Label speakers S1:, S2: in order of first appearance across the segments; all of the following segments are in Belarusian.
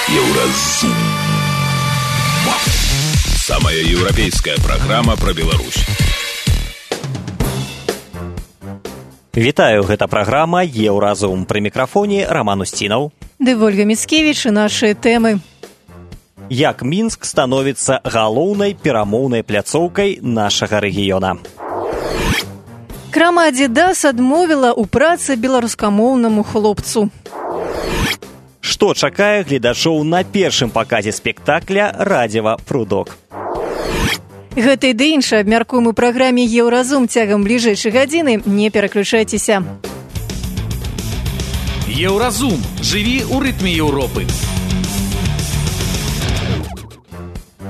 S1: Еўразум. Самая еўрапейская праграма пра Беларусь.
S2: Вітаю, гэта праграма «Еўразум». Пры мікрафоне Роман Устінаў.
S3: Ды Вольга Міцкевіч і нашы тэмы.
S2: Як Мінск становіцца галоўнай перамоўнай пляцоўкай нашага рэгіёна.
S3: Крама «Адидас» адмовіла ў працы беларускамоўнаму хлопцу.
S2: Што чакае гледачоў на першым паказе спектакля «Радзіва Прудок».
S3: Гэта і ды іншае абмяркуем у праграме «Еўразум» цягам бліжэйшай гадзіны. Не пераключайцеся.
S4: Еўразум. Жыві ў рытме Еўропы.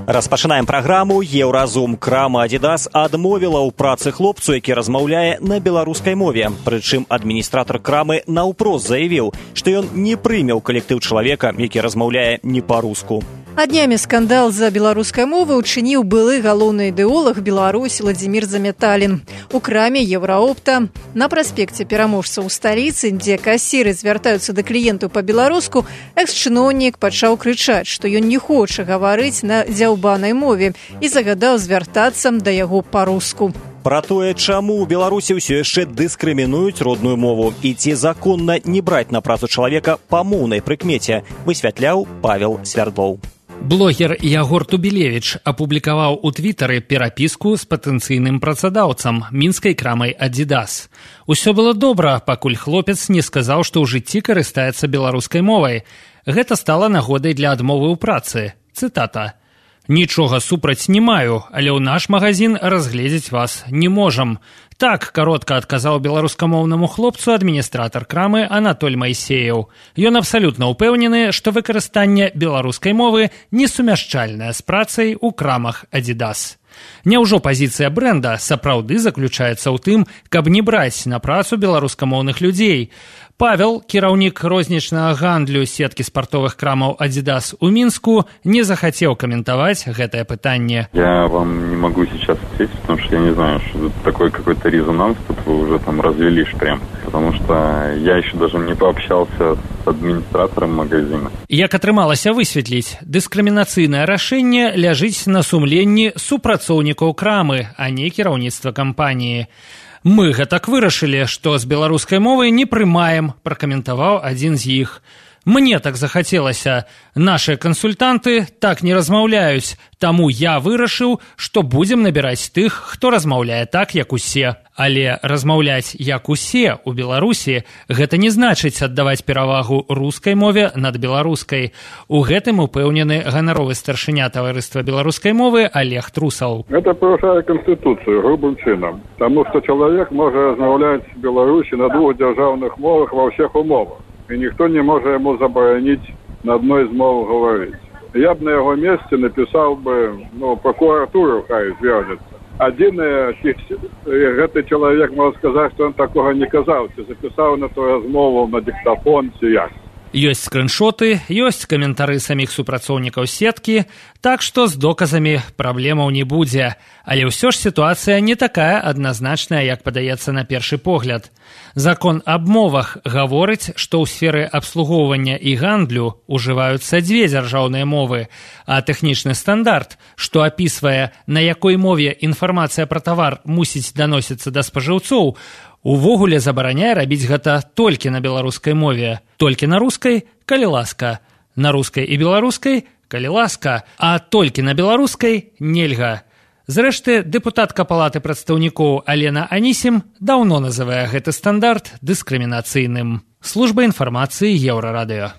S2: Распачынаем праграму «Еўразум». Крама «Адидас» адмовіла ў працы хлопцу, які размаўляе на беларускай мове. Прычым адміністратар крамы наўпрост заявіў, што ён не прыме ў калектыў чалавека, які размаўляе не па-руску.
S3: А днямі скандал за беларускай мовы учыніў былы галоўны ідэолаг Беларусі Владзімір Заметалін. У краме «Еўраопта» на праспекце пераможцаў у сталіцы, дзе касіры звяртаюцца да кліентаў па-беларуску, экс-чыноўнік пачаў крычаць, што ён не хоча гаварыць на дзяўбанай мове і загадаў звяртацца да яго па-руску.
S2: Пра тое, чаму ў Беларусі ўсё яшчэ дыскрымінуюць родную мову і ці законна не браць на працу чалавека па моўнай прыкмеце, высвятляў Павел Свярдлоў.
S5: Блогер Ягор Тубілевіч апублікаваў у твітары перапіску з патэнцыйным працадаўцам мінскай крамай «Адидас». Усё было добра, пакуль хлопец не сказаў, што ў жыцці карыстаецца беларускай мовай. Гэта стала нагодай для адмовы ў працы. Цытата. «Нічога супраць не маю, але ў наш магазин разгледзець вас не можам». Так каротка адказаў беларускамоўнаму хлопцу адміністратар крамы Анатоль Майсеяў. Ён абсалютна ўпэўнены, што выкарыстанне беларускай мовы несумяшчальнае з працай у крамах «Адидас». Няўжо пазіцыя брэнда сапраўды заключаецца ў тым, каб не браць на працу беларускамоўных людзей? Павел, кіраўнік рознічнага гандлю сеткі спартовых крамаў «Адидас» у Мінску, не захацеў каментаваць гэтае пытанне.
S6: Я вам не могу сейчас ответить, потому что я не знаю, что это такой какой-то резонанс тут вы уже там развели прям. Потому что я еще даже не пообщался с адміністратарам магазина. Як
S5: атрымалася высветліць, дыскрымінацыйнае рашэнне ляжыць на сумленні супрацоўнікаў крамы, а не кіраўніцтва кампаніі. Мы гэтак вырашылі, што з беларускай мовай не прымаем, пракаментаваў адзін з іх. Мне так захацелася. Нашыя кансультанты так не размаўляюць, таму я вырашыў, што будзем набіраць тых, хто размаўляе так, як усе. Але размаўляць як усе ў Беларусі гэта не значыць аддаваць перавагу рускай мове над беларускай. У гэтым упэўнены ганаровы старшыня таварыства беларускай мовы Олег Трусаў.
S7: Гэта парушае канстытуцыю грубым чынам, таму што чалавек можа размаўляць в Беларусі на двух дзяржаўных мовах ва ўсіх умовах. И никто не может ему заборонить на одной из мов говорить. Я бы на его месте написал бы, прокуратуру хай зв'яжется. Один этот человек может сказать, что он такого не казал, записал на ту размову на диктофон, як.
S5: Ёсць скрыншоты, ёсць каментары саміх супрацоўнікаў сеткі, так што з доказамі праблемаў не будзе. Але ўсё ж сітуацыя не такая адназначная, як падаецца на першы погляд. Закон аб мовах гаворыць, што ў сферы абслугоўвання і гандлю ўжываюцца дзве дзяржаўныя мовы, а тэхнічны стандарт, што апісвае, на якой мове інфармацыя пра тавар мусіць даносіцца да спажыўцоў, увогуле забараняе рабіць гэта толькі на беларускай мове. Толькі на рускай, калі ласка. На рускай і беларускай, калі ласка. А толькі на беларускай нельга. Зрэшты, дэпутатка палаты прадстаўнікоў Алена Анісім даўно называе гэты стандарт дыскрымінацыйным. Служба інфармацыі Еўрарадыё.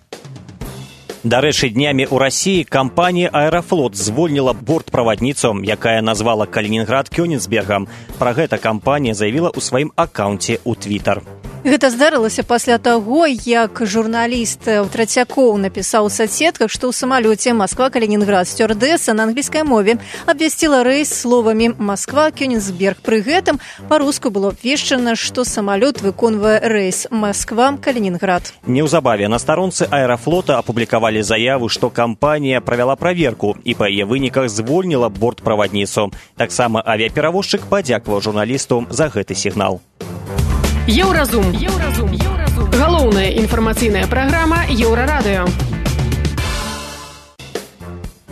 S2: Дарэчы, днямі ў Расіі кампанія «Аэрафлот» звольніла бортправадніцу, якая назвала Калінінград Кёнігсбергам. Пра гэта кампанія заявіла ў сваім акаунце ў Твітар.
S3: Гэта здарылася пасля таго, як журналіст Трацякоў напісаў у соцсетках, што ў самалёце Москва-Калінінград сцюардэса на англійскай мове абвясціла рэйс словамі «Москва-Кёнігсберг». Пры гэтым па-руску было абвешчана, што самалёт выконвае рэйс Москва-Калінінград.
S2: Неўзабаве на старонцы «Аэрафлота» апублікавалі заяву, што кампанія правяла праверку і па яе выніках звольніла бортправадніцу. Таксама авіаперавозчык падзякаваў журналісту за гэты сігнал.
S8: Еўразум. Галоўная інфармацыйная праграма Еўрарадыё.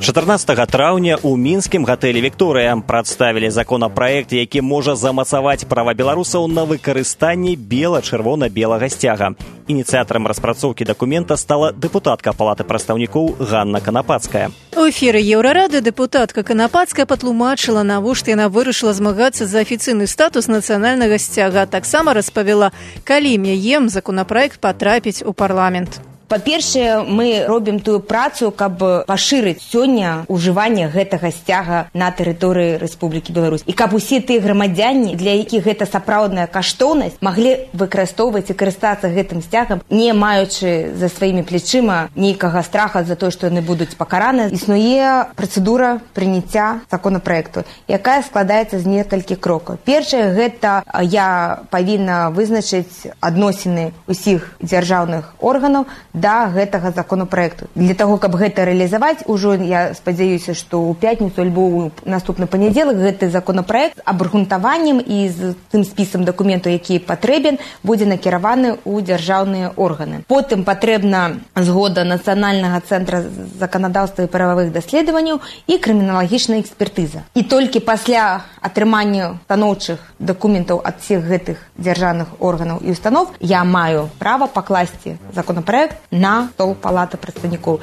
S2: 14 траўня ў мінскім гатэлі «Вікторыя» прадставілі законапраект, які можа замацаваць права беларусаў на выкарыстанне бела-чырвона-белага сцяга. Ініцыятарам распрацоўкі дакумента стала дэпутатка Палаты прадстаўнікоў Ганна Канапацкая.
S3: У эфіры Еўрарады дэпутатка Канапацкая патлумачыла, навошта яна вырашыла змагацца за афіцыйны статус нацыянальнага сцяга. Таксама распавяла, калі яе законапраект патрапіць у парламент.
S9: Па-першае, мы робім тую працу, каб пашырыць сёння ўжыванне гэтага сцяга на тэрыторыі Рэспублікі Беларусь. І каб усе тыя грамадзяне, для якіх гэта сапраўдная каштоўнасць, маглі выкарыстоўваць і карыстацца гэтым сцягам, не маючы за сваімі плечыма нейкага страха за тое, што яны будуць пакараны. Існуе працэдура прыняцця законапраекту, якая складаецца з некалькіх крокаў. Першае, гэта я павінна вызначыць адносіны ўсіх дзяржаўных органаў да гэтага законапраекту. Для таго, каб гэта рэалізаваць, ужо я спадзяюся, што ў пятніцу альбо ў наступны панядзелак гэты законапраект абгрунтаваннем і з тым спісам дакументаў, які патрэбен, будзе накіраваны ў дзяржаўныя органы. Потым патрэбна згода Нацыянальнага цэнтра заканадаўства і прававых даследаванняў і крыміналагічная экспертыза. І толькі пасля атрымання станоўчых дакументаў ад всіх гэтых дзяржаўных органаў і установ я маю права пакласці законапраект на стол Палаты прадстаўнікоў.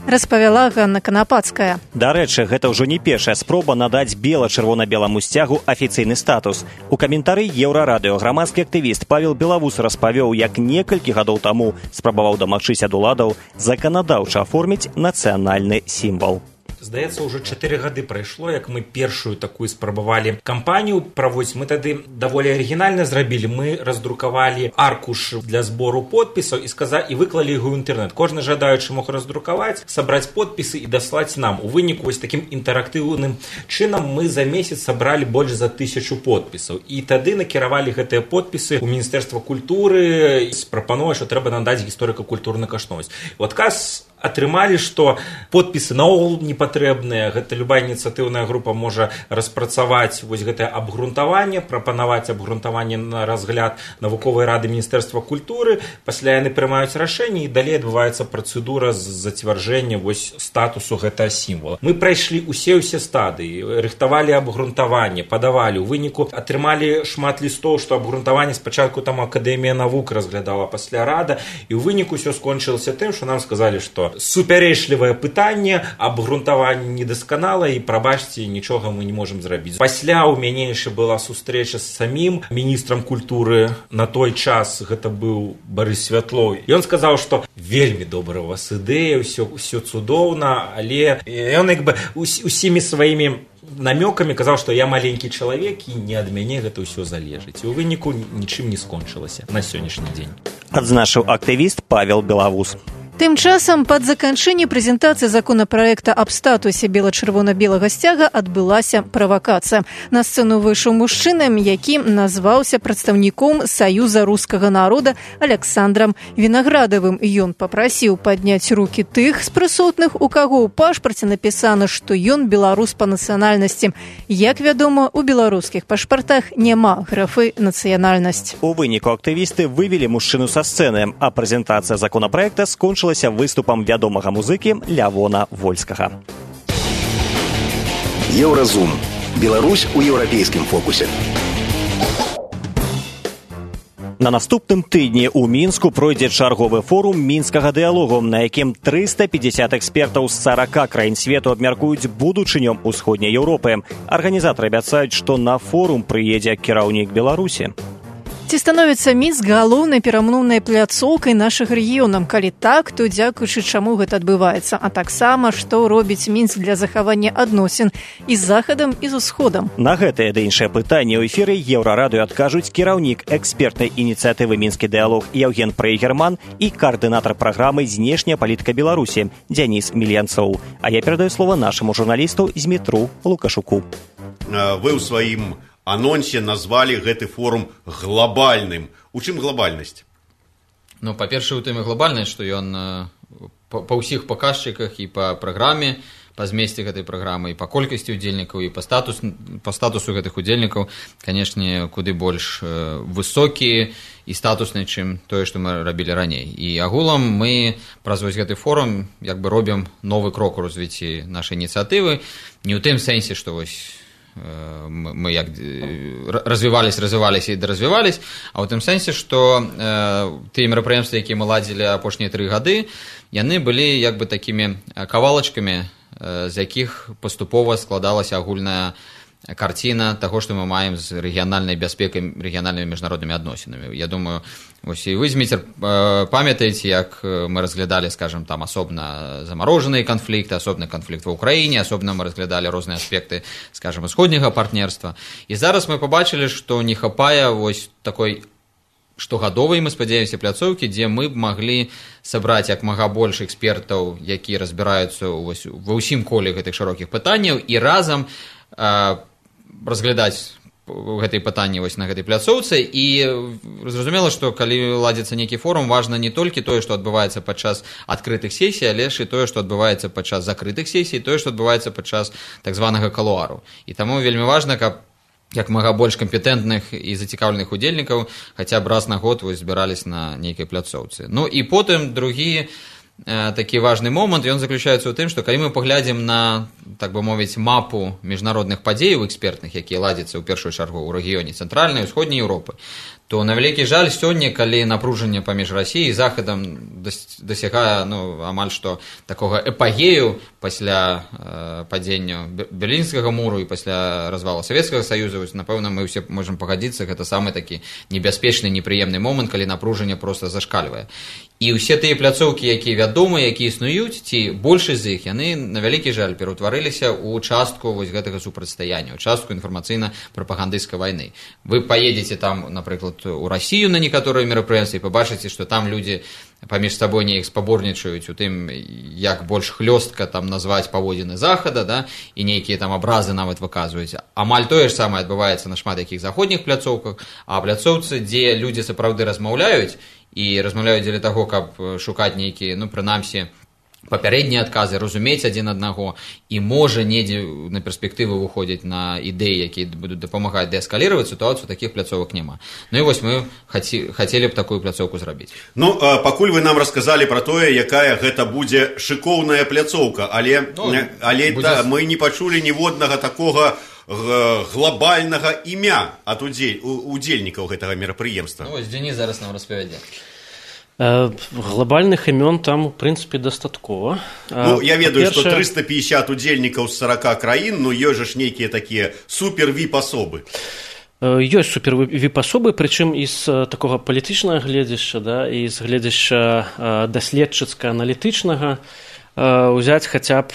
S3: Распавяла Ганна Канапацкая.
S2: Дарэчы, гэта ўжо не першая спроба надаць бела-чырвона-беламу сцягу афіцыйны статус. У каментары Еўрарадыё грамадскі актывіст Павел Белавус распавёў, як некалькі гадоў таму спрабаваў дамагчыся ад уладаў заканадаўча аформіць нацыянальны сімвал.
S10: Здаецца, ўжо 4 гады прайшло, як мы першую такую спрабавалі кампанію праводзіць. Мы тады даволі арыгінальна зрабілі. Мы раздрукавалі аркуш для збору подпісаў і выклалі яго ў інтэрнэт. Кожны жадаючы мог раздрукаваць, сабраць подпісы і даслаць нам. У выніку вось такім інтэрактыўным чынам мы за месяц сабралі больш за 1000 подпісаў. І тады накіравалі гэтыя подпісы ў Міністэрства культуры з прапановай, што трэба надаць гісторыка-культурную каштоўнасць. У адказ атрымалі, што подпісы наогул не патрэбныя. Гэта любая ініцыятыўная група можа распрацаваць вось гэтае абгрунтаванне, прапанаваць абгрунтаванне на разгляд навуковай рады Міністэрства культуры. Пасля яны прымаюць рашэнне і далей адбываецца працэдура зацвярджэння вось статусу гэтага сімвала. Мы прайшлі усе стадыі, рыхтавалі абгрунтаванне, падавалі. У выніку атрымалі шмат лістоў, што абгрунтаванне спачатку там Акадэмія навук разглядала, пасля рада, і ў выніку ўсё скончылася тым, што нам сказалі, што супярэчлівае пытанне, абгрунтаванне недасканала і, прабачце, нічога мы не можам зрабіць. Пасля ў мяне яшчэ была сустрэча з самім міністрам культуры. На той час гэта быў Барыс Святлоў. Ён сказаў, што вельмі добрая у вас ідэя, ўсё цудоўна, але ён як бы усімі сваімі намёкамі казаў, што я маленькі чалавек і не ад мяне гэта ўсё залежыць. І ў выніку нічым не скончылася на сённяшні дзень.
S2: Адзначыў актывіст Павел Белавус.
S3: Тым часам пад заканчэнне прэзентацыі законапраекта аб статусе бела-чырвона-белага сцяга адбылася правакацыя. На сцэну выйшаў мужчына, які назваўся прадстаўніком Саюза рускага народа Аляксандрам Вінаградавым. Ён папрасіў падняць рукі тых з прысутных, у каго ў пашпарце напісана, што ён беларус па нацыянальнасці. Як вядома, у беларускіх пашпартах няма графы нацыянальнасць.
S2: У выніку актывісты вывелі мужчыну са сцэны, а прэзентацыя законапраекта скончылася выступам вядомага музыкі Лявона Вольскага.
S11: Еўразум. Беларусь у еўрапейскім фокусе.
S2: На наступным тыдні ў Мінску пройдзе чарговы форум мінскага дыялогу, на якім 350 экспертаў з 40 краін свету абмяркуюць будучыню ўсходняй Еўропы. Арганізатары абяцаюць, што на форум прыедзе кіраўнік Беларусі.
S3: Ці становіцца Мінск галоўнай перамоўнай пляцоўкай нашых рэгіёнаў? Калі так, то дзякуючы чаму гэта адбываецца? А таксама, што робіць Мінск для захавання адносін і з захадам, і з усходам?
S2: На гэтае ды іншае пытанне ў эфіры Еўрарадыё адкажуць кіраўнік экспертнай ініцыятывы «Мінскі дыялог» Яўген Прейгерман і каардынатар праграмы «Знешняя палітыка Беларусі» Дзяніс Мільянцоў. А я перадаю слово нашаму журналісту Змітру Лукашуку.
S12: Вы ў сваім анонсе назвалі гэты форум глобальным. У чым глобальнасць?
S13: Ну, па-першае, у тым і глобальнасць, што ён па ўсіх паказчыках і па праграме па змесце гэтай праграмы, і па колькасці удзельнікаў, і па статусу гэтых удзельнікаў, канешне, куды больш высокі і статусны, чым тое, што мы рабілі раней. І агулам мы праз вось гэты форум як бы робім новы крок у развіцці нашай ініцыятывы, не ў тым сэнсе, што вось мы як развіваліся і даразвіваліся, а ў тым сэнсе, што тыя мерапрыемствы, якія мы ладзілі апошнія 3 гады, яны былі як бы такімі кавалачкамі, з якіх паступова складалася агульная карціна таго, што мы маем з рэгіянальнай бяспекай, рэгіянальнымі міжнароднымі адносінамі. Я думаю, вось і вы, Зміцер, памятаеце, як мы разглядалі, скажем, там асобна замарожаныя канфлікты, асобны канфлікт ва ўкраіне, асобна мы разглядалі розныя аспекты, скажем, усходняга партнерства. І зараз мы пабачылі, што не хапае вось такой штогадовай, мы спадзяемся, пляцоўкі, дзе мы б маглі сабраць як мага больш экспертаў, якія разбіраюцца ва ўсім коле гэтых шырокіх пытанняў, і разам разглядаць гэтыя пытанні вось на гэтай пляцоўцы. І зразумела, што калі ладзіцца нейкі форум, важна не толькі тое, што адбываецца падчас адкрытых сесій, але ж і тое, што адбываецца падчас закрытых сесій, тое, што адбываецца падчас так званага калуару. І таму вельмі важна, каб як мага больш кампетэнтных і зацікаўленых удзельнікаў хаця б раз на год вось збіраліся на нейкай пляцоўцы. Ну і потым другі такі важны момант, ён заключаецца ў тым, што калі мы паглядзім на, так бы мовіць, мапу міжнародных падзеяў экспертных, якія ладзяцца ў першую чаргу ў рэгіёне цэнтральнай і ўсходняй Еўропы, то на вялікі жаль сёння, калі напружанне паміж Расіяй і Захадам дасягае амаль што такога эпагею пасля падзення Берлінскага муру і пасля развалу Савецкага Саюза, напэўна, мы ўсе можам пагадзіцца, гэта самы такі небяспечны, непрыемны момант, калі напружанне проста зашкальвае. І ўсе тыя пляцоўкі, якія вядомыя, якія існуюць, ці большасць з іх, яны, на вялікі жаль, пераўтварыліся ў частку вось гэтага супрацьстаяння, ў частку інфармацыйна-прапагандысцкай вайны. Вы паедзеце там, напрыклад, у Расію на некаторыя мерапрыемствы і пабачыце, што там людзі паміж сабой неяк спаборнічаюць у тым, як больш хлёстка там назваць паводзіны Захада, да, і нейкія там абразы нават выказваюць. Амаль тое ж самае адбываецца на шмат якіх заходніх пляцоўках, а пляцоўцы, дзе людзі сапраўды размаўляюць, і размаўляюць дзеля таго, каб шукаць нейкія, прынамсі, папярэднія адказы, разумець адзін аднаго, і можа недзе на перспектыву выходзіць на ідэі, якія будуць дапамагаць дээскаліраваць сітуацыю, такіх пляцовак няма. Ну і вось мы хацелі б такую пляцоўку зрабіць.
S12: Ну, пакуль вы нам расказалі пра тое, якая гэта будзе шыкоўная пляцоўка, але мы не пачулі ніводнага такога глобальнага імя ад удзельнікаў гэтага мерапрыемства.
S13: Ну, вось Дзеніс зараз нам распавядзе.
S14: Глобальных имен там, в принципе, достаткова.
S12: Ну, я ведаю, что 350 удзельнікаў з 40 краін, ну, ёсць ж нейкія такія супер-віп-асобы.
S14: Ёсць супер-віп-асобы, прычым і з такога палітычнага гледзяшча, да, і з гледзяшча даследчыцка-аналітычнага. Узяць хаця б,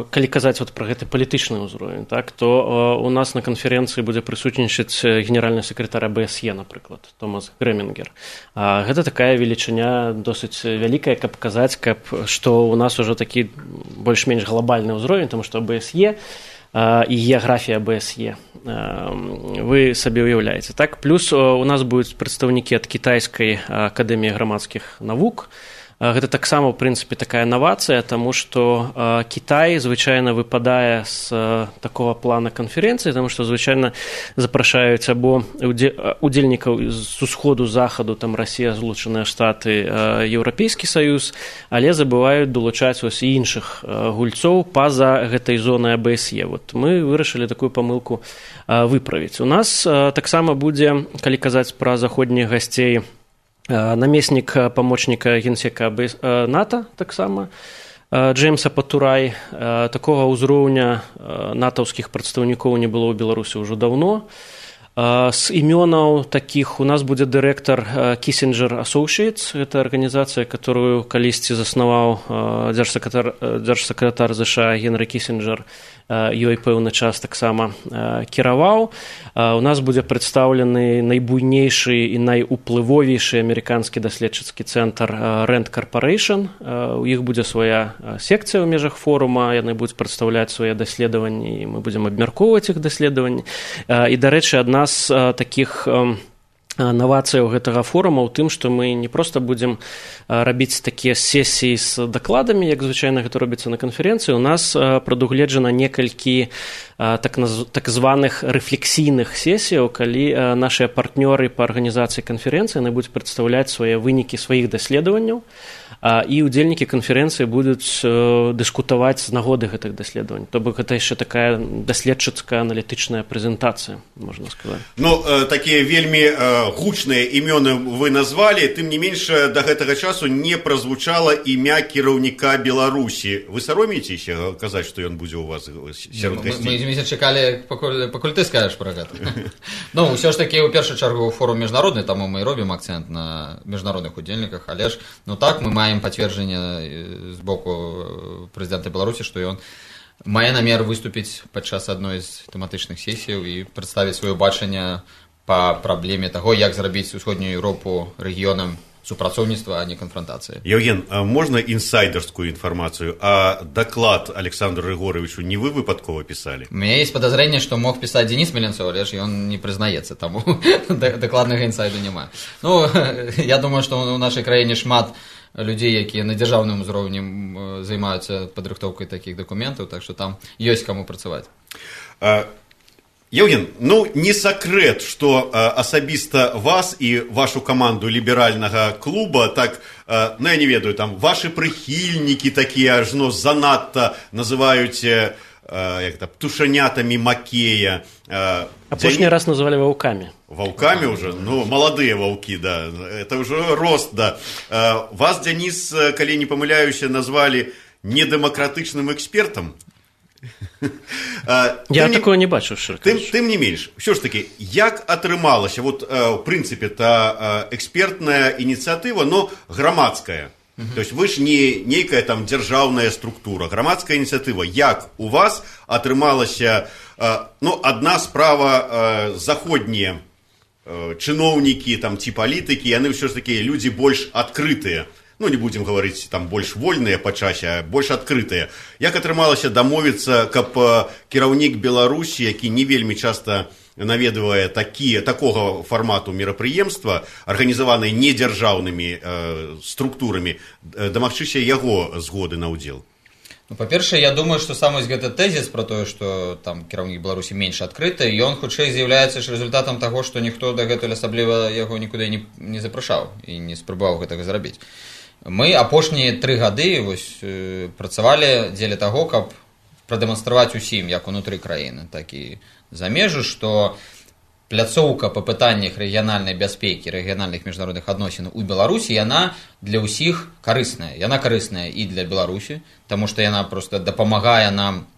S14: калі казаць пра гэты палітычны ўзровень, так, то у нас на канферэнцыі будзе прысутнічаць генеральны сакратар АБСЕ, напрыклад, Томас Грэмінгер. Гэта такая велічыня досыць вялікая, каб казаць, што у нас ужо такі больш-менш глобальны ўзровень, таму што АБСЕ і геаграфія АБСЕ вы сабе ўяўляеце. Так, плюс у нас будуць прадстаўнікі ад кітайскай акадэміі грамадскіх навук. Гэта таксама, ў прынцыпе, такая навацыя, таму што Кітай звычайна выпадае з такога плана канферэнцыі, таму што звычайна запрашаюць або удзельнікаў з усходу, захаду, там Расія, Злучаныя Штаты, Еўрапейскі Саюз, але забываюць долучаць ось і іншых гульцоў па-за гэтай зонай АБСЕ. Вот мы вырашылі такую памылку выправіць. У нас таксама будзе, калі казаць пра заходніх гасцей, намеснік памочніка генсека НАТО таксама, Джеймса Патурай. Такога ўзроўня натаўскіх прадстаўнікоў не было ў Беларусі ўжо даўно. З імёнаў такіх у нас будзе дырэктар Kissinger Associates, гэта арганізацыя, которую калісьці заснаваў дзяржсакратар ЗША Генры Кісінджер, ёй пэўны час таксама кіраваў. У нас будзе прадстаўлены найбуйнейшы і найуплывовейшы амерыканскі даследчыцкі цэнтр Rand Corporation. У іх будзе свая секцыя ў межах форума, яны будуць прадстаўляць свае даследаванні, і мы будзем абмяркоўваць іх даследаванні. І, дарэчы, адна з такіх навацыя ў гэтага форума ў тым, што мы не проста будзем рабіць такія сесіі з дакладамі, як звычайна гэта робіцца на канферэнцыі. У нас прадугледжана некалькі так званых рэфлексійных сесіяў, калі нашыя партнёры па арганізацыі канферэнцыі будуць прадстаўляць свае вынікі сваіх даследаванняў, і ўдзельнікі канферэнцыі будуць дыскутаваць з нагоды гэтых даследаванняў. То бок гэта яшчэ такая даследчыцкая аналітычная прэзентацыя, можна сказаць.
S12: Ну, такія вельмі гучныя імёны вы назвалі, тым не менш да гэтага часу не празвучала імя кіраўніка Беларусі. Вы саромеецеся казаць, што ён будзе у вас сярод гасцей?
S13: Мы чакалі, пакуль ты скажаш пра гэта. Ну, ўсё ж такі, у першую чаргу, форум міжнародны, таму мы робім акцэнт на міжнародных удзельніках, але ж, ну так, мы маем пацверджанне з боку прэзідэнта Беларусі, што ён мае намер выступіць падчас адной з тэматычных сесіяў і прадставіць сваё бачанне па праблеме таго, як зрабіць усходнюю Еўропу рэгіёнам супрацоўніцтва, а не канфронтацыі.
S12: Евген, можна інсайдерскую інфармацыю? А даклад Александру Григорьевичу не вы выпадкова пісалі?
S13: У меня есть подозрение, что мог писать Денис Меленцов, але ж он не признаецца, таму дакладнага інсайду няма. Ну, я думаю, што у нашай краіне шмат людзей, якія на дзяржаўным узроўні займаюцца падрыхтоўкай такіх дакументаў, так што там ёсць каму працаваць.
S12: Евген, ну не сакрэт, што асабіста вас і вашу каманду ліберальнага клуба, так, ну я не ведаю, там вашы прыхільнікі такія ажно занадта называюць птушанятамі Макея.
S14: Апошні раз называлі ваўкамі.
S12: Ваўкамі уже? Ну, маладыя ваўкі, да. Это уже рост, да. Вас, Денис, калі не памыляюся, назвалі недэмакратычным экспертам.
S14: Я такого не бачу,
S12: тым не менш, ўсё ж такі, як атрымалася, вот, в прынцыпе, та экспертная ініцыятыва, но грамадская. То есть вы ж не нейкая там дзяржаўная структура, грамадская ініцыятыва. Як у вас атрымалася, ну, адна справа, заходнія чыноўнікі там ці палітыкі, яны ўсё ж такі людзі больш адкрытыя. Ну, не будем говорить, там, больш вольныя па часе, а больш адкрытыя. Як атрымалася дамовіцца, каб кіраўнік Беларусі, які не вельмі часта наведвае такога фармату мерапрыемства, арганізаваныя недзяржаўнымі структурамі, дамагчыся яго згоды на ўдзел?
S13: Ну, па-першае, я думаю, што сам гэты тэзіс пра тое, што там кіраўнік Беларусі менш адкрыты, ён хутчэй з'яўляецца ж результатам таго, што ніхто дагэтуль асабліва яго нікуды не запрашаў і не спрабаваў гэтага зрабіць. Мы апошнія 3 гады працавалі дзеля таго, каб прадэманстраваць усім, як унутры краіны, так і за межы, што пляцоўка па пытаннях рэгіянальнай бяспекі, рэгіянальных міжнародных адносін у Беларусі, яна для ўсіх карысная. Яна карысная і для Беларусі, таму што яна проста дапамагае нам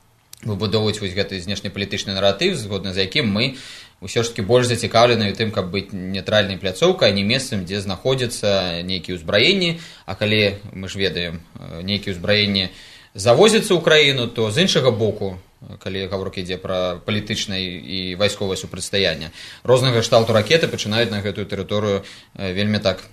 S13: выбудоўваць вось гэты знешнепалітычны наратыў, згодна з якім мы ўсё ж таки больш зацікаўлены ў тым, каб быць нейтральнай пляцоўкай, а не месцам, дзе знаходзяцца нейкія ўзбраенні, а калі мы ж ведаем, нейкія ўзбраенні завозяцца ў краіну, то з іншага боку, калі гаворка ідзе пра палітычнае і вайсковае супрацьстаянне, рознага кшталту ракеты пачынаюць на гэтую тэрыторыю вельмі так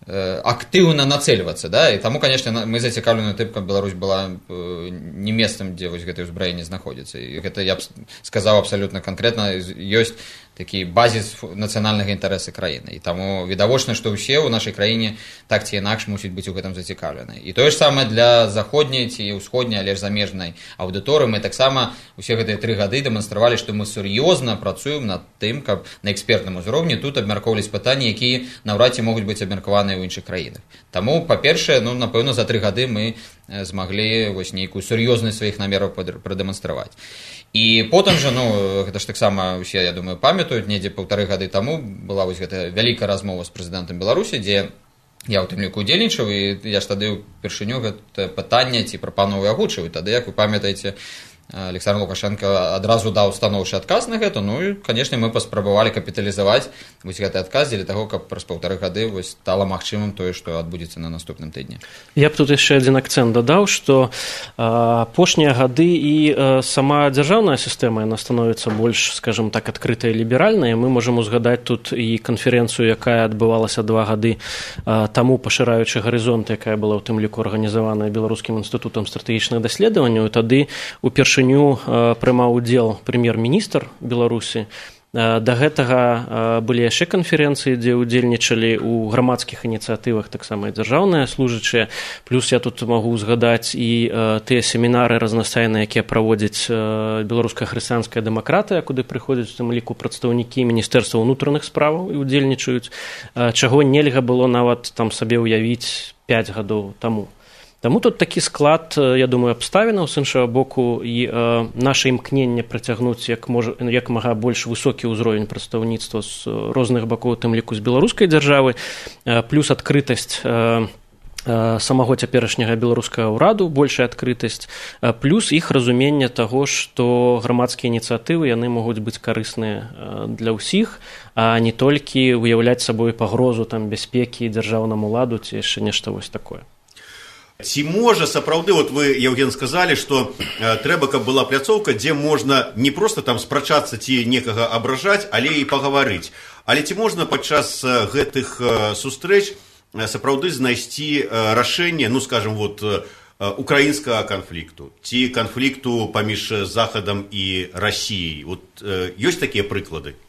S13: актыўна нацэльвацца, да, і таму, конечно, мы зацікаўлены тым, каб Беларусь была не месцам, дзе вось гэтае ўзбраенне знаходзіцца. І гэта, я б сказаў абсалютна канкрэтна, ёсць такі базіс нацыянальнага інтарэса краіны. І таму відавочна, што ўсе ў нашай краіне так ці інакш мусіць быць у гэтым зацікаўлены. І тое ж самае для заходняй ці ўсходняй, але ж замежнай аўдыторыі. Мы таксама усе гэтыя 3 гады дэманстравалі, што мы сур'ёзна працуем над тым, каб на экспертным узроўні тут абмяркоўвались пытанні, якія наўрад ці могуць быць абмеркаваныя ў іншых краінах. Таму, па-першае, ну, напэўна, за 3 гады мы змаглі вось нейкую сур'ёзнасць сваіх намераў прадэманстраваць. І потым жа, ну, гэта ж таксама усе, я думаю, памятаюць, недзе 1,5 гады таму была вось гэта вялікая размова з прэзідэнтам Беларусі, дзе я ў тым ліку удзельнічаў, і я ж тады ўпершыню гэта пытанне ці прапановы агучыў. Тады, як вы памятаеце, Александр Лукашенко адразу даў станоўчы адказ на гэта, ну і, канешне, мы паспрабавалі капіталізаваць вось гэты адказ дзеля таго, каб праз 1,5 гады вось стала магчымым тое, што адбудзецца на наступным тыдні.
S14: Я б тут яшчэ адзін акцэнт дадаў, што апошнія гады і сама дзяржаўная сістэма, яна становіцца больш, скажем так, адкрытая і ліберальная. Мы можам узгадаць тут і канферэнцыю, якая адбывалася 2 гады таму, пашыраючы гарызонт, якая была ў тым ліку арганізаваная Беларускім інстытутам стратэгічных даследаванняў. Тады упершыню прымаў удзел прэм'ер-міністр Беларусі, Да гэтага былі яшчэ канферэнцыі, дзе ўдзельнічалі ў грамадскіх ініцыятывах таксама і дзяржаўныя служачыя. Плюс я тут магу згадаць і тыя семінары разнастайныя, якія праводзіць беларуская хрысціянская дэмакратыя, куды прыходзяць у тым ліку прадстаўнікі міністэрства ўнутраных справаў і ўдзельнічаюць, чаго нельга было нават там сабе ўявіць 5 гадоў таму. Таму тут такі склад, я думаю, абставінаў, з іншага боку, і наша імкненне працягнуць як мага больш высокі ўзровень прадстаўніцтва з розных бакоў, у тым ліку з беларускай дзяржавы, плюс адкрытасць самого цяперашняга беларускага ўраду, большая адкрытасць, плюс іх разуменне таго, што грамадскія ініцыятывы яны могуць быць карысныя для ўсіх, а не толькі уяўляць сабой пагрозу там бяспекі дзяржаўнаму ладу ці яшчэ нешта вось такое.
S12: Ці можа сапраўды, вот вы, Евген, сказалі, што трэба, каб была пляцоўка, дзе можна не проста там спрачацца ці некага абражаць, але і пагаварыць. Але ці можна падчас гэтых сустрэч сапраўды знайсці рашэнне, ну, скажем, вот, украінскага канфлікту, ці канфлікту паміж Захадам і Расіяй? Вот ёсць такія прыклады?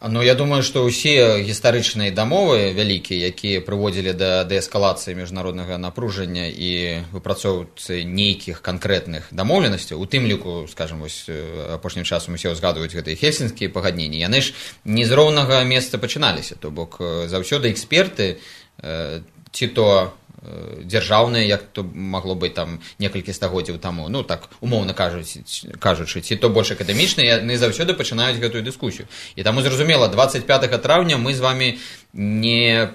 S13: Ну, я думаю, што ўсе гістарычныя дамовы вялікія, якія прыводзілі да дээскалацыі міжнароднага напружання і выпрацоўцы нейкіх канкрэтных дамоўленасцяў, у тым ліку, скажем, вось апошнім часам усе ўзгадваюць гэтыя хельсінскія пагадненні, яны ж не з роўнага месца пачыналіся, то бок заўсёды эксперты, ці то дзяржаўныя, як то магло быць там некалькі стагоддзяў таму, ну так умоўна кажучы, ці то больш акадэмічныя, яны заўсёды пачынаюць гэтую дыскусію. І таму зразумела, 25 траўня мы з вамі не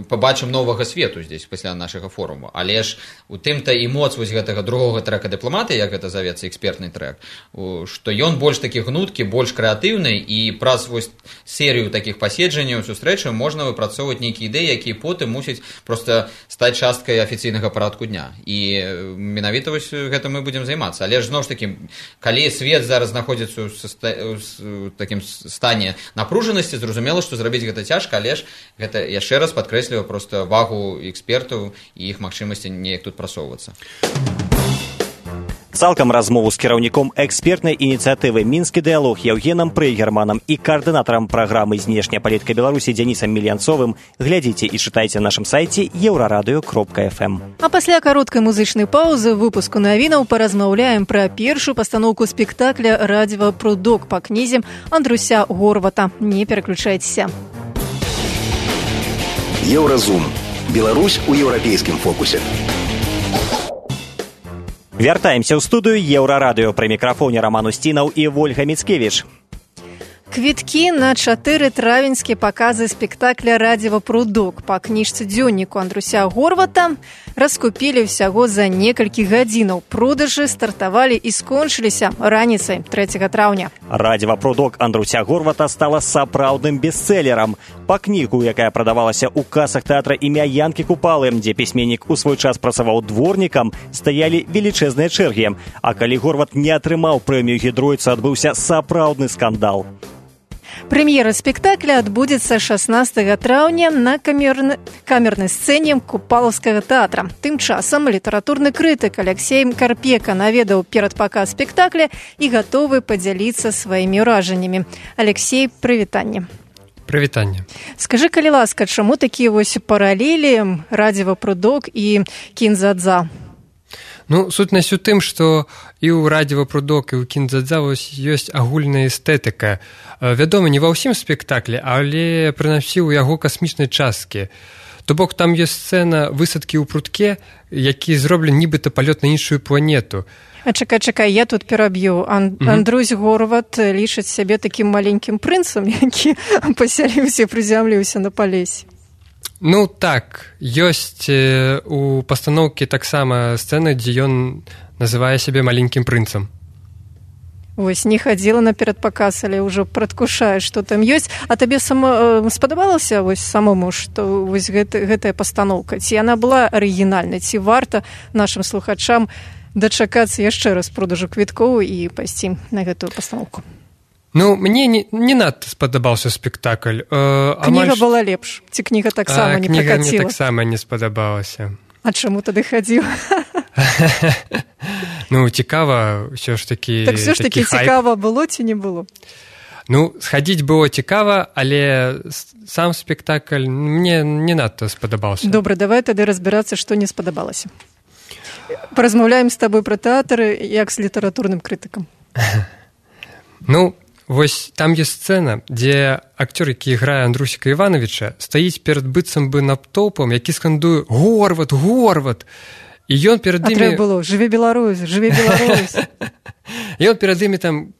S13: пабачым новага свету здесь пасля нашага форуму, але ж у тым-то і моц вось гэтага другога трэка дыпламатыі, як гэта завецца экспертны трэк, што ён больш такі гнуткі, больш крэатыўны, і праз вось серыю такіх паседжанняў, сустрэчаў можна выпрацоўваць нейкія ідэі, якія потым мусяць проста стаць часткай афіцыйнага парадку дня. І менавіта вось гэта мы будзем займацца. Але ж зноў ж такі, калі свет зараз знаходзіцца ў такім стане напружанасці, зразумела, што зрабіць гэта цяжка, але ж гэта яшчэ раз падкрэсліваю проста вагу экспертаў і іх магчымасці неяк тут прасоўвацца.
S2: Цалкам размову з кіраўніком экспертнай ініцыятывы «Мінскі дыялог» Евгенам Прыгерманам і каардынатарам праграмы «Знешняя палітыка Беларусі» Дзянісам Мільянцовым глядзіце і чытайце на нашым сайце еўрарадыё.фм.
S3: А пасля кароткай музычнай паўзы выпуску навінаў паразмаўляем пра першую пастаноўку спектакля «Радзіва прудок» па кнізе Андруся Горвата. Не пераключайцеся.
S11: Еўразум. Беларусь у еўрапейскім фокусе.
S2: Вяртаемся ў студыю Еўрарадыё. Пры мікрафоне Роман Устінаў і Вольга Міцкевіч.
S3: Квіткі на 4 травеньскія паказы спектакля «Радзіва прудок» па кніжцы дзённіку Андруся Горвата раскупілі ўсяго за некалькі гадзінаў. Продажы стартавалі і скончыліся раніцай 3 траўня.
S2: «Радзіва прудок» Андруся Горвата стала сапраўдным бестселерам. Па кнігу, якая прадавалася ў касах тэатра імя Янкі Купалы, дзе пісьменнік у свой час працаваў дворнікам, стаялі велічэзныя чэргі. А калі Горват не атрымаў прэмію гідроіца, адбыўся сапраўдны скандал.
S3: Прэм'ера спектакля адбудзецца 16 траўня на камернай сцэне Купалаўскага тэатра. Тым часам літаратурны крытык Алексей Карпека наведаў перадпаказ спектакля і гатовы падзяліцца сваімі ўражаннямі. Алексей, прывітанне.
S15: Прывітанне.
S3: Скажы, калі ласка, чаму такія вось паралелі «Радзіва прудок» і «Кін-дза-дза»?
S15: Ну, сутнасць у тым, што і ў «Радзіва прудок», і ў «Кін-дза-дза» ёсць агульная эстэтыка. Вядома, не ва ўсім спектаклі, але прынамсі ў яго касмічнай часткі. То бок там ёсць сцэна высадкі ў прудке, які зроблены нібыта палёт на іншую планету.
S3: А чакай, я тут пераб'ю. Андрусь Горват лічыць сябе такім маленькім прынцам, які пасяліўся і прызямліўся на палесе.
S15: Ну так, ёсць у пастаноўкі таксама сцэна, дзе ён называе сябе маленькім прынцам.
S3: Вось, не хадзіла на перадпаказ, але ўжо прадкушаеш, што там ёсць. А табе спадабалася вось самому, што вось гэтая пастаноўка? Ці яна была арыгінальнай? Ці варта нашым слухачам дачакацца яшчэ раз продажу квіткоў і пайсці на гэтую пастаноўку?
S15: Ну, мне не надта спадабаўся спектакль.
S3: Кніга была лепш. Ці кніга таксама не пракаціла?
S15: Кніга мне таксама не спадабалася.
S3: А чаму тады хадзіў?
S15: Ну, цікава, ўсё ж такі...
S3: Так ўсё ж такі цікава было ці не было?
S15: Ну, схадзіць было цікава, але сам спектакль мне не надта спадабаўся.
S3: Добра, давай тады разбірацца, што не спадабалася. Паразмаўляем з табой пра тэатр як з літаратурным крытыкам.
S15: Ну, вось там ёсць сцэна, дзе акцёр, які іграе Андрусіка Івановича, стаіць перад быццам бы натоўпам, які скандуе «Горват, Горват!» І ён перад імі...
S3: А трэба было «Жыве Беларусь, жыве Беларусь!»
S15: І ён перад імі там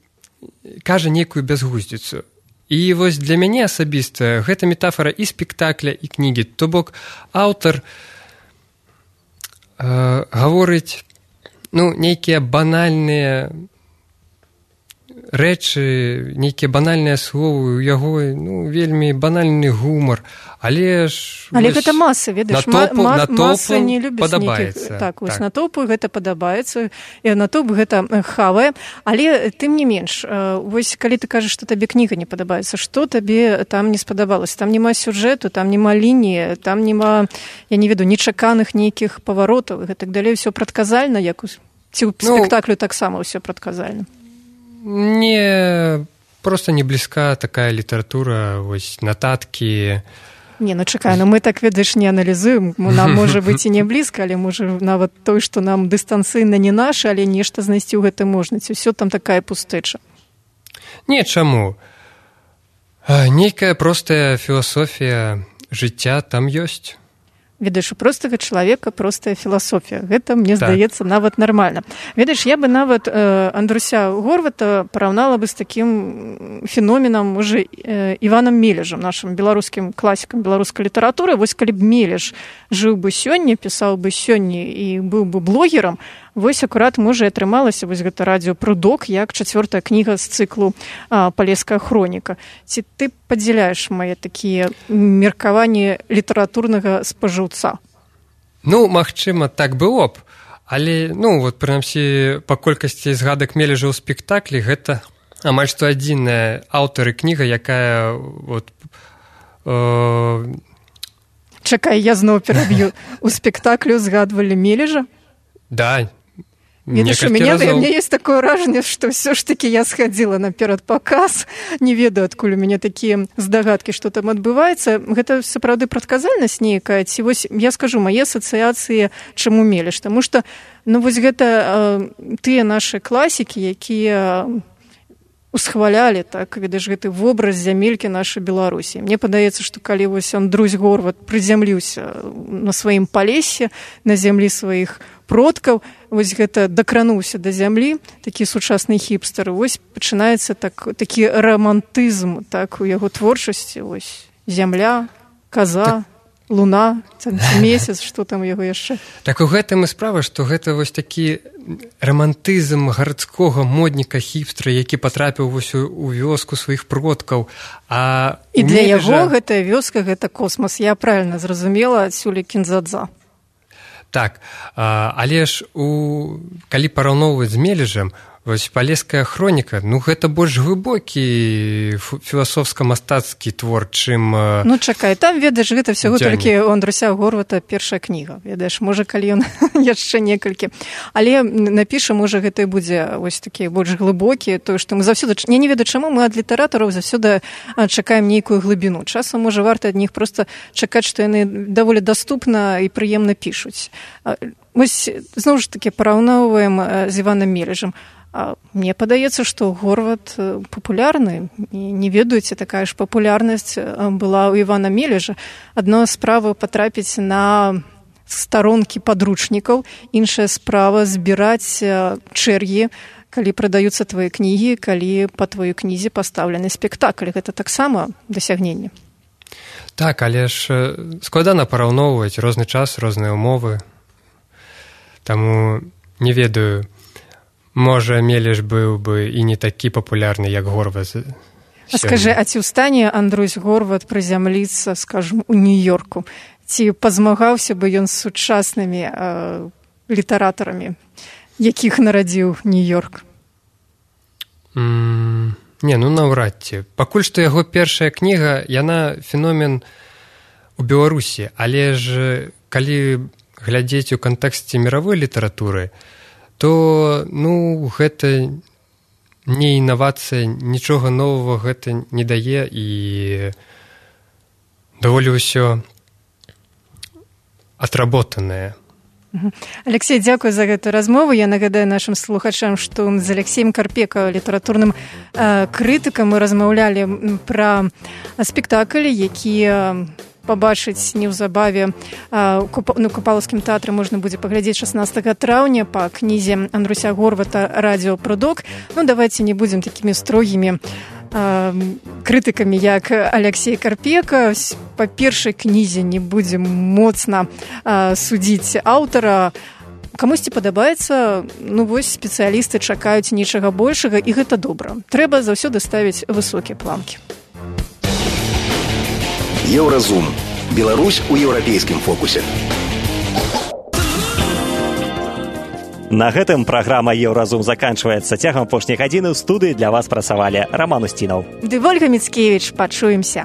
S15: кажа нейкую бязгуздзіцу. І вось для мяне асабіста гэта метафора і спектакля, і кнігі. То бок аўтар гаворыць нейкія банальныя рэчы, нейкія банальныя словы, у яго вельмі банальны гумар, але ж...
S3: Але гэта маса, ведаеш, маса не любіць
S15: падабаецца.
S3: Так, вось натоўпу гэта падабаецца, і натоўп гэта хавае, але тым не менш, вось калі ты кажаш, што табе кніга не падабаецца, што табе там не спадабалася? Там няма сюжэту, там няма лініі, там няма, я не ведаю, нечаканых нейкіх паваротаў і гэтак далей, усё прадказальна, як ці ў спектаклю таксама ўсё прадказальна.
S15: Не, просто не блізка такая літаратура, вось нататкі.
S3: Не, чакай, мы так, ведаеш, не аналізуем, нам можа быць і не блізка, але можа нават той, што нам дыстанцыйна не наша, але нешта знайсці ў гэта можна, ці ўсё там такая пустэча.
S15: Не, чаму? Нейкая простая філасофія жыцця там ёсць.
S3: Ведаеш, у простага чалавека простая філасофія. Гэта, мне здаецца, нават нармальна. Ведаеш, я бы нават Андруся Горвата параўнала бы з такім феноменам, можа, Іванам Мележам, нашым беларускім класікам беларускай літаратуры. Вось калі б Мележ жыў бы сёння, пісаў бы сёння і быў бы блогерам, вось акурат, можа, і атрымалася вось гэта радыёпрудок, як 4-я кніга з цыклу «Палеская хроніка». Ці ты падзяляеш мае такія меркаванні літаратурнага спажыўца?
S15: Ну, магчыма, так было б, але, прынамсі, па колькасці згадак Мележа ў спектаклі, гэта амаль што адзіная аўтар і кніга, якая
S3: Чакай, я зноў пераб'ю. У спектаклю згадвалі Мележа?
S15: Да,
S3: Видишь, у меня есть такое ўражанне, што ўсё ж таки я схадзіла на перадпаказ, не ведаю, адкуль у мяне такія здагадкі, што там адбываецца. Гэта сапраўды прадказальнасць нейкая, ці вось я скажу мае асацыяцыі, чаму Мележ, таму што вось гэта тыя нашы класікі, якія усхвалялі, так, ведаеш, гэты вобраз зямелькі нашай Беларусі. Мне падаецца, што калі вось Андрусь Горват прызямліўся на сваім палесе, на зямлі сваіх продкаў, вось гэта дакрануўся да зямлі, такі сучасны хіпстер, вось пачынаецца такі романтызм, так, у яго творчасці, вось зямля, каза, луна, месяц, што там у яго яшчэ.
S15: Так у гэтым і справа, што гэта вось такі романтызм гарадскога модніка хіпстера, які патрапіў вось у вёску сваіх продкаў.
S3: І для яго гэтая вёска, гэта космас. Я правільна зразумела адсюль Кінзадза.
S15: Так, але ж калі параўноўваць з Мележам, вось «Палеская хроніка», гэта больш глыбокі філасофска-мастацкі твор, чым...
S3: Чакай, там, ведаеш, гэта ўсяго толькі у Андруся Горвата першая кніга, ведаеш, можа, калі ён яшчэ некалькі. Але напіша, можа, гэта і будзе вось такі больш глыбокі, тое, што мы заўсёды... Я не ведаю, чаму мы ад літаратараў заўсёды чакаем нейкую глыбіну. Часам, можа, варта ад них проста чакаць, што яны даволі даступна і прыемна пішуць. Вось, зноў ж такі, параўноўваем з Іванам Мележам. Мне падаецца, што Горват папулярны. Не ведаеце, такая ж папулярнасць была ў Івана Мележа. Адна справа патрапіць на старонкі падручнікаў, іншая справа збіраць чэргі, калі прадаюцца твае кнігі, калі па тваёй кнізе пастаўлены спектакль. Гэта таксама дасягненне.
S15: Так, але ж складана параўноўваць розны час, розныя ўмовы. Таму не ведаю, можа, Мележ быў бы і не такі папулярны, як Горват.
S3: Скажы, а ці ў стане Андрусь Горват прызямліцца, скажем, у Нью-Йорку? Ці пазмагаўся бы ён з сучаснымі літаратарамі, якіх нарадзіў Нью-Йорк?
S15: Не, наўрад ці. Пакуль што яго першая кніга, яна феномен у Беларусі, але ж калі глядзець у кантэксце міравой літаратуры, то, гэта не інавацыя, нічога новага гэта не дае, і даволі ўсё отработанае.
S3: Алексей, дзякуй за гэтую размову. Я нагадаю нашим слухачам, што з Алексеем Карпека, літаратурным крытыкам, мы размаўлялі пра спектакль, які пабачыць неўзабаве на Купалаўскім тэатры можна будзе паглядзець 16 траўня па кнізе Андруся Горвата «Радио Прудок». Ну, давайте не будем такими строгими крытыкамі, як Алексей Карпека. Па першай кнізе не будзем моцна судзіць аўтара. Камусьці падабаецца, ну вось спецыялісты чакаюць нечага большага, і гэта добра. Трэба заўсёды ставіць высокія планкі.
S11: Еўразум. Беларусь у еўрапейскім фокусе.
S2: На гэтым праграма «Еўразум» заканчваецца. Цягам апошняй гадзіны ў студыі для вас працавалі Раман Устінаў.
S3: Ды Вольга Міцкевіч. Пачуемся.